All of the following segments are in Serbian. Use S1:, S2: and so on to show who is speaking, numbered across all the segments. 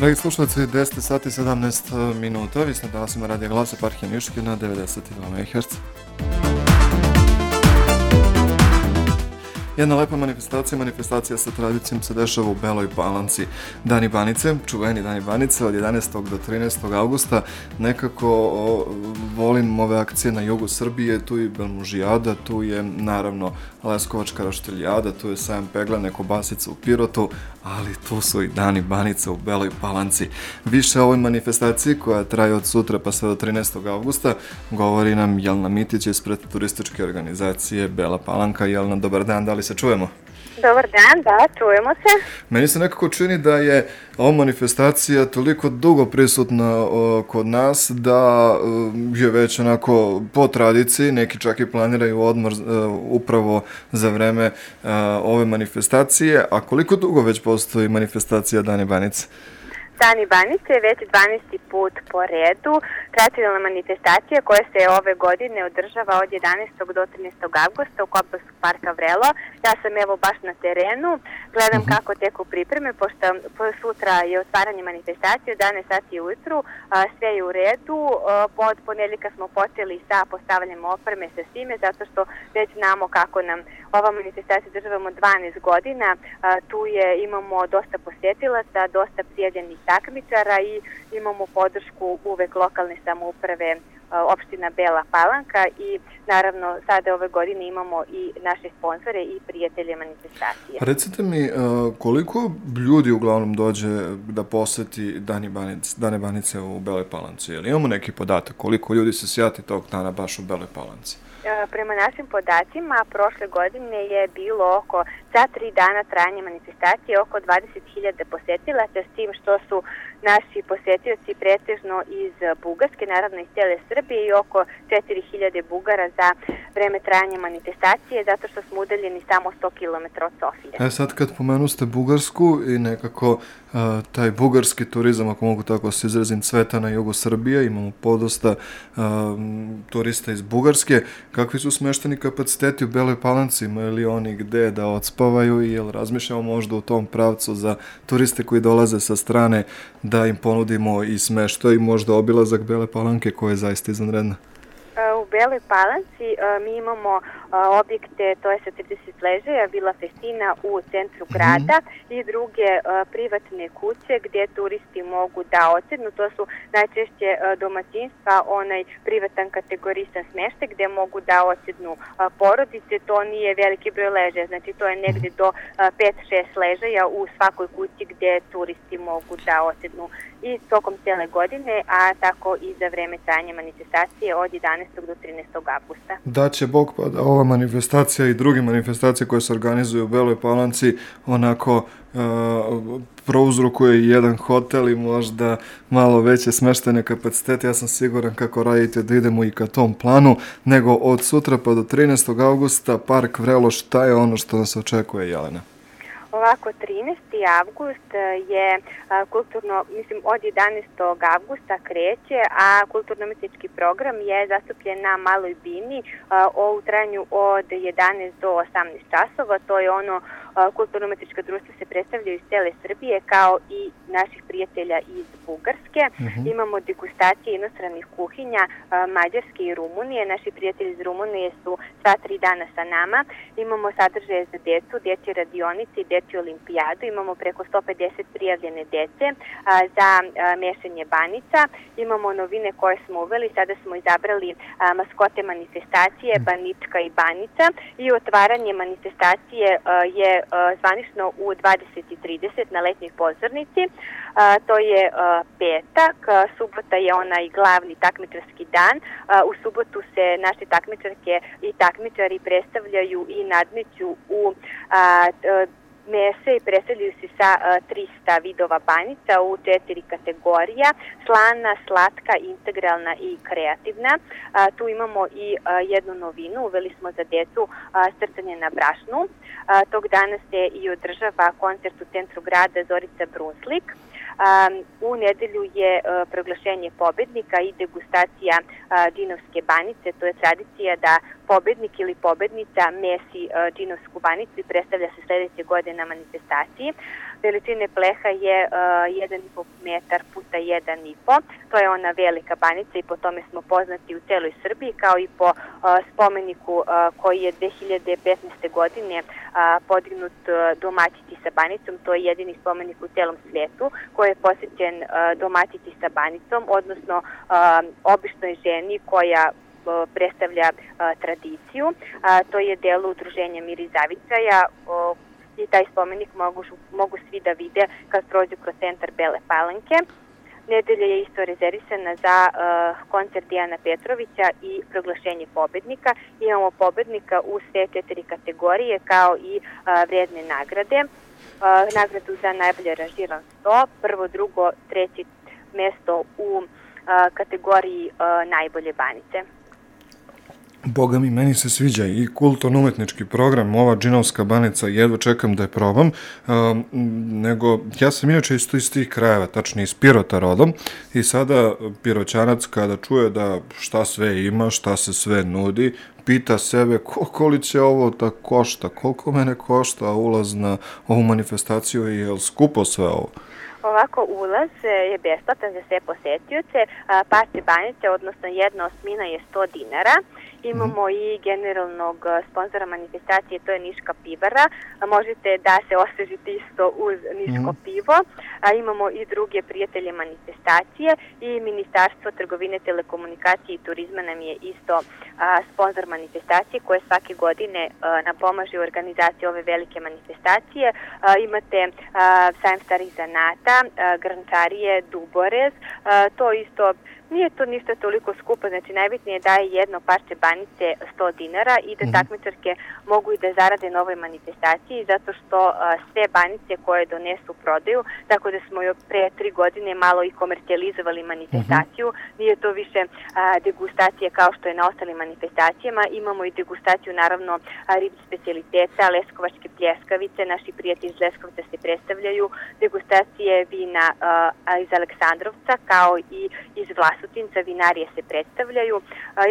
S1: Dragi slušalci, 10 sati 17 minuta, vi ste danas ima Radio Glas eparhije Niške na 92 MHz. Jedna lepa manifestacija sa tradicijom se dešava u Beloj Palanci. Dani Banice, čuveni Dani Banice od 11. do 13. augusta. Nekako volim ove akcije na jugu Srbije, tu je Belmužijada, tu je naravno Leskovačka roštiljada, tu je sajam peglane kobasice u Pirotu, ali tu su i Dani Banice u Beloj Palanci. Više o ovoj manifestaciji koja traje od sutra pa sve do 13. augusta govori nam Jelena Mitić ispred turističke organizacije Bela Palanka. Jelena, dobar dan, da li se čujemo?
S2: Dobar dan, da, čujemo se.
S1: Meni se nekako čini da je ova manifestacija toliko dugo prisutna kod nas da je već onako po tradiciji, neki čak i planiraju odmor upravo za vreme ove manifestacije. A koliko dugo već postoji manifestacija Dani Banice?
S2: Dani Banice je već 12. put po redu, tradicionalna manifestacija koja se ove godine održava od 11. do 13. augusta u Koblarskog parka Vrelo. Ja sam evo baš na terenu, gledam kako teku pripreme, pošto sutra je otvaranje manifestacije, 11 sati ujutru, sve je u redu. Od ponedjeljka smo počeli sa postavljanjem opreme sa svime, zato što već znamo kako nam ova manifestacija održavamo 12 godina. Tu imamo dosta posjetilaca, dosta prijavljenih takmičara i imamo podršku uvek lokalne samouprave opština Bela Palanka i naravno sada ove godine imamo i naše sponzore i prijatelje manifestacije.
S1: Recite mi, koliko ljudi uglavnom dođe da poseti Dane Banice u Beloj Palanci? Jel imamo neki podatak koliko ljudi se sjati tog dana baš u Beloj Palanci?
S2: Prema našim podacima, prošle godine je bilo za 3 dana trajanja manifestacije oko 20.000 posetilaca, s tim što su naši posetioci pretežno iz Bugarske, naravno iz cijele Srbije, i oko 4.000 Bugara za vreme trajanja manifestacije, zato što smo udaljeni samo 100 km od Sofije.
S1: Sad kad pomenuste Bugarsku i nekako taj bugarski turizam, ako mogu tako se izrazim, cveta na jugu Srbije, imamo podosta turista iz Bugarske. Kakvi su smešteni kapaciteti u Beloj Palanci? Imaju li oni gde da odspavaju i jel razmišljamo možda u tom pravcu za turiste koji dolaze sa strane da im ponudimo i smeštaj i možda obilazak Bele Palanke koja je zaista izvanredna?
S2: U Beloj Palanci mi imamo objekte, to je sa 30 ležaja, Vila Festina u centru grada i druge privatne kuće gdje turisti mogu da odsednu. To su najčešće domaćinstva, onaj privatan kategorisan smeštaj gdje mogu da odsednu porodice. To nije veliki broj ležaja, znači to je negdje do 5-6 ležaja u svakoj kući gdje turisti mogu da odsednu i tokom cijele godine, a tako i za vreme trajanja manifestacije od 11. do 13. augusta.
S1: Da će Bog pa da ova manifestacija i druge manifestacije koje se organizuju u Beloj Palanci onako prouzrokuje jedan hotel i možda malo veće smeštene kapacitete. Ja sam siguran kako radite da idemo i ka tom planu, nego od sutra pa do 13. augusta Park Vrelo, šta je ono što nas očekuje, Jelena?
S2: Ovako, 13. avgust je kulturno, od 11. avgusta kreće, a kulturno-umetnički program je zastupljen na Maloj bini u trajanju od 11 do 18 časova. To je ono, kulturno-umetnička društva se predstavljaju iz cele Srbije kao i naših prijatelja iz Bugarske. Imamo degustacije inostranih kuhinja Mađarske i Rumunije. Naši prijatelji iz Rumunije su sva 3 dana sa nama. Imamo sadržaje za decu, dječje radionice i dječju olimpijadu. Imamo preko 150 prijavljene dece za mešanje banica. Imamo novine koje smo uveli. Sada smo izabrali maskote manifestacije Banička i Banica i otvaranje manifestacije je zvanično u 20:30 na letnjoj pozornici. To je petak, subota je onaj glavni takmičarski dan. U subotu se naše takmičarke i takmičari predstavljaju i nadmeću u mese i predstavljaju se sa 300 vidova banica u 4 kategorija: slana, slatka, integralna i kreativna. Tu imamo i jednu novinu, uveli smo za decu crtanje na brašnu. Tog dana se i održava koncert u centru grada Zorica Brunslik. U nedelju je proglašenje pobednika i degustacija džinovske banice. To je tradicija da pobednik ili pobednica mesi džinovsku banicu i predstavlja se sledeće godine na manifestaciji. Veličine pleha je 1,5 metar puta 1,5. To je ona velika banica i po tome smo poznati u celoj Srbiji, kao i po spomeniku koji je 2015. godine podignut domaćici sa banicom. To je jedini spomenik u celom svijetu koji je posvećen domaćici sa banicom, odnosno običnoj ženi koja predstavlja tradiciju. To je delo udruženja Mir i Zavičaja i taj spomenik mogu svi da vide kad prođu kroz centar Bele Palanke. Nedelja je isto rezervisana za koncert Dijana Petrovića i proglašenje pobednika. Imamo pobednika u sve 4 kategorije kao i vredne nagrade. Nagradu za najbolje aranžiran sto, prvo, drugo, treće mesto u kategoriji najbolje banice.
S1: Boga mi, meni se sviđa i kulturno-umetnički program, ova džinovska banica, jedva čekam da je probam, nego ja sam inače iz tih krajeva, tačnije iz Pirota rodom, i sada Piroćanac kada čuje da šta sve ima, šta se sve nudi, pita sebe koliko će ovo da košta, koliko mene košta ulaz na ovu manifestaciju i je li skupo sve ovo?
S2: Ovako, ulaz je besplatan za sve posetioce, parče banice, odnosno 1/8 je 100 dinara. Imamo i generalnog sponzora manifestacije, to je Niška pivara. Možete da se osvežite isto uz Niško pivo. Imamo i druge prijatelje manifestacije i Ministarstvo trgovine, telekomunikacije i turizma nam je isto sponzor manifestacije koje svake godine nam pomaže u organizaciji ove velike manifestacije. Imate sajam starih zanata, grančarije, Duborez, to isto nije to ništa toliko skupo, znači najbitnije je da je jedno parče banice 100 dinara i da takmičarke mogu i da zarade na ovoj manifestaciji, zato što sve banice koje donesu prodaju, tako da smo pre 3 godine malo i komercijalizovali manifestaciju, nije to više degustacija kao što je na ostalim manifestacijama, imamo i degustaciju naravno ribnih specijaliteta, leskovačke pljeskavice, naši prijatelji iz Leskovca se predstavljaju, degustacije vina iz Aleksandrovca kao i iz Vlasotinca, vinarije se predstavljaju,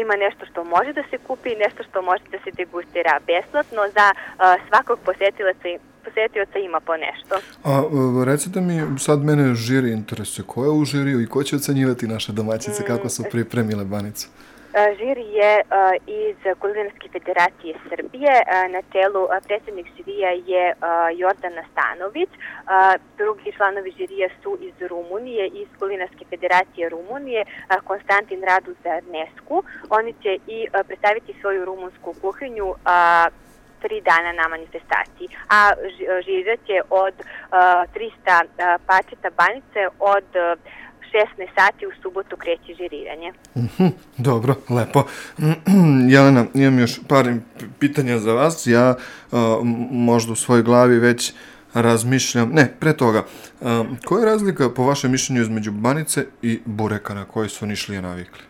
S2: ima nešto što može da se kupi, nešto što može da se degustira besplatno, za svakog posetioca ima po nešto.
S1: A recite mi, sad mene žiri interesuje, ko je u žiriju i ko će ocenjivati naše domaćice, kako su pripremile banicu?
S2: Žiri je iz Kulinarske federacije Srbije, na čelu predsjednik žirija je Jordana Stanović, drugi članovi žirija su iz Rumunije, iz Kulinarske federacije Rumunije, Konstantin Radu Zarnesku. Oni će i predstaviti svoju rumunsku kuhinju 3 dana na manifestaciji, a žirirat će od 300 pačeta banice od 16 sati u subotu kreće žiriranje.
S1: Dobro, lepo. Jelena, imam još par pitanja za vas. Ja možda u svojoj glavi već razmišljam... Ne, pre toga, koja je razlika po vašem mišljenju između banice i bureka na koji su Nišlije navikli?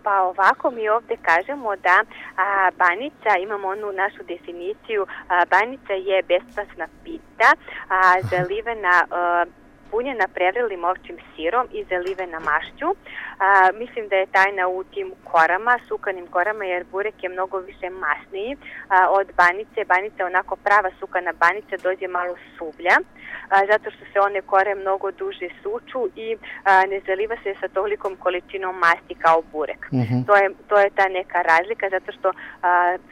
S2: Pa ovako mi ovde kažemo da banica, imamo onu našu definiciju, banica je besplatna pita, zalivena punjena prevrelim ovčim sirom i zalivena mašću. Mislim da je tajna u tim korama, sukanim korama, jer burek je mnogo više masniji od banice. Banica je onako prava sukana banica, dođe malo suvlja, zato što se one kore mnogo duže suču i ne zaliva se sa tolikom količinom masti kao burek. To je ta neka razlika, zato što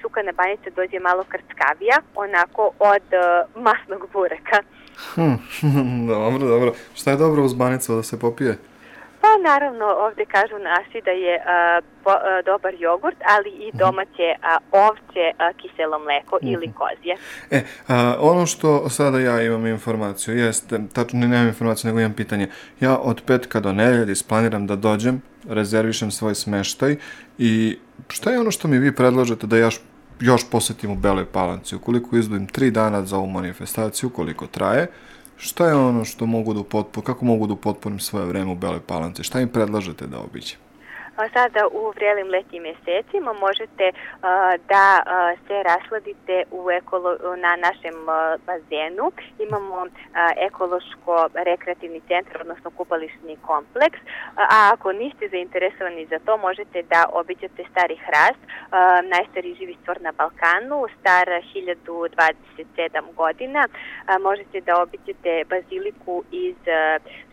S2: sukana banica dođe malo krckavija, onako od masnog bureka.
S1: Dobro. Šta je dobro uz banicu da se popije?
S2: Pa naravno, ovde kažu naši da je dobar jogurt, ali i domaće ovče kiselo mleko ili kozje.
S1: Ono što sada ja imam informaciju jeste, tačno nemam informaciju, nego imam pitanje. Ja od petka do nedelje isplaniram da dođem, rezervišem svoj smeštaj i šta je ono što mi vi predlažete da još posetim u Beloj Palanci? Ukoliko izdvojim 3 dana za ovu manifestaciju, koliko traje, šta je ono što mogu kako mogu da upotpunim svoje vreme u Beloj Palanci? Šta im predlažete da obiđem?
S2: sada u vrelim letnjim mjesecima možete da se rasladite na našem bazenu. Imamo ekološko-rekreativni centar, odnosno kupališni kompleks, a ako niste zainteresovani za to, možete da obiđete Stari Hrast, najstariji živi stvor na Balkanu, star 1027 godina. Možete da obiđete baziliku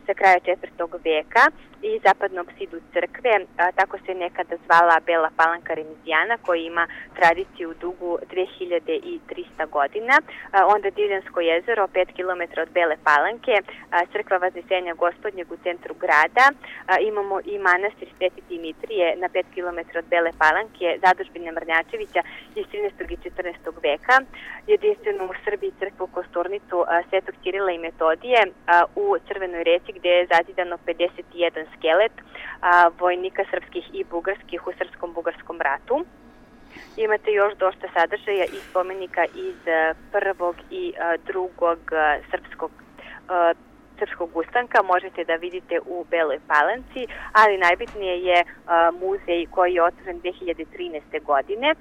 S2: sa kraja 4. veka i zapadnu apsidu crkve, tako se nekada zvala Bela Palanka Remizijana, koja ima tradiciju dugu 2300 godina. Onda Divljansko jezero, 5 km od Bele Palanke, crkva Vaznesenja Gospodnjeg u centru grada. Imamo i manastir Sveti Dimitrije na 5 km od Bele Palanke, zadužbine Mrnjačevića iz 13. i 14. veka. Jedinstvenu u Srbiji crkvu Kosturnicu Svetog Cirila i Metodije u Crvenoj reci, gde je zazidano 51 skelet vojnika srpskih i bugarskih u srpskom-bugarskom ratu. Imate još dosta sadržaja i spomenika iz prvog i drugog srpskog ustanka. Možete da vidite u Beloj Palanci, ali najbitnije je muzej koji je otvoren 2013. godine.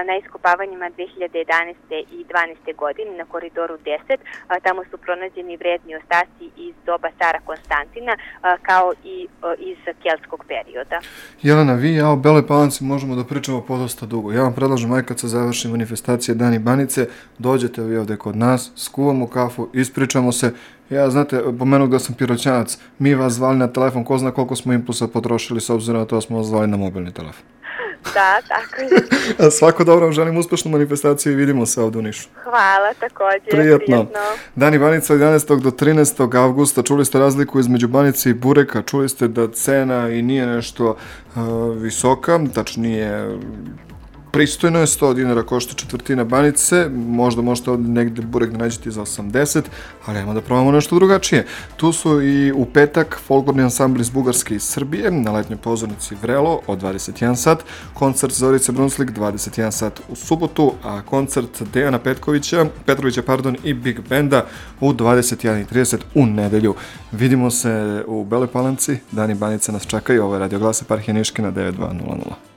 S2: Na iskopavanjima 2011. i 2012. godine na koridoru 10. Tamo su pronađeni vredni ostaci iz doba cara Konstantina, kao i iz keltskog perioda.
S1: Jelena, vi i ja o Beloj Palanci možemo da pričamo podosta dugo. Ja vam predlažem, aj kad se završi manifestacija Dani Banice, dođete vi ovde kod nas, skuvamo kafu, ispričamo se. Ja, znate, pomenuo da sam piroćanac, mi vas zvali na telefon, ko zna koliko smo impulsa potrošili, s obzirom na to smo vas zvali na mobilni telefon.
S2: Da, tako je.
S1: Svako dobro, vam želim uspešnu manifestaciju i vidimo se ovde u Nišu.
S2: Hvala, također.
S1: Prijetno. Dani Banica od 11. do 13. avgusta. Čuli ste razliku između Banice i Bureka, čuli ste da cena i nije nešto visoka, tačnije pristojno je, 100 dinara košta četvrtina Banice, možda možete ovdje negdje burek da nađete za 80, ali ajmo da probamo nešto drugačije. Tu su i u petak folklorni ansambl iz Bugarske i Srbije na letnjoj pozornici Vrelo od 21 sat, koncert Zorice Brunslik 21 sat u subotu, a koncert Dejana Petrovića i Big Benda u 21:30 u nedelju. Vidimo se u Beloj Palanci, Dani Banice nas čekaju, ovo je Radio Glas Eparhije Niške na 9200.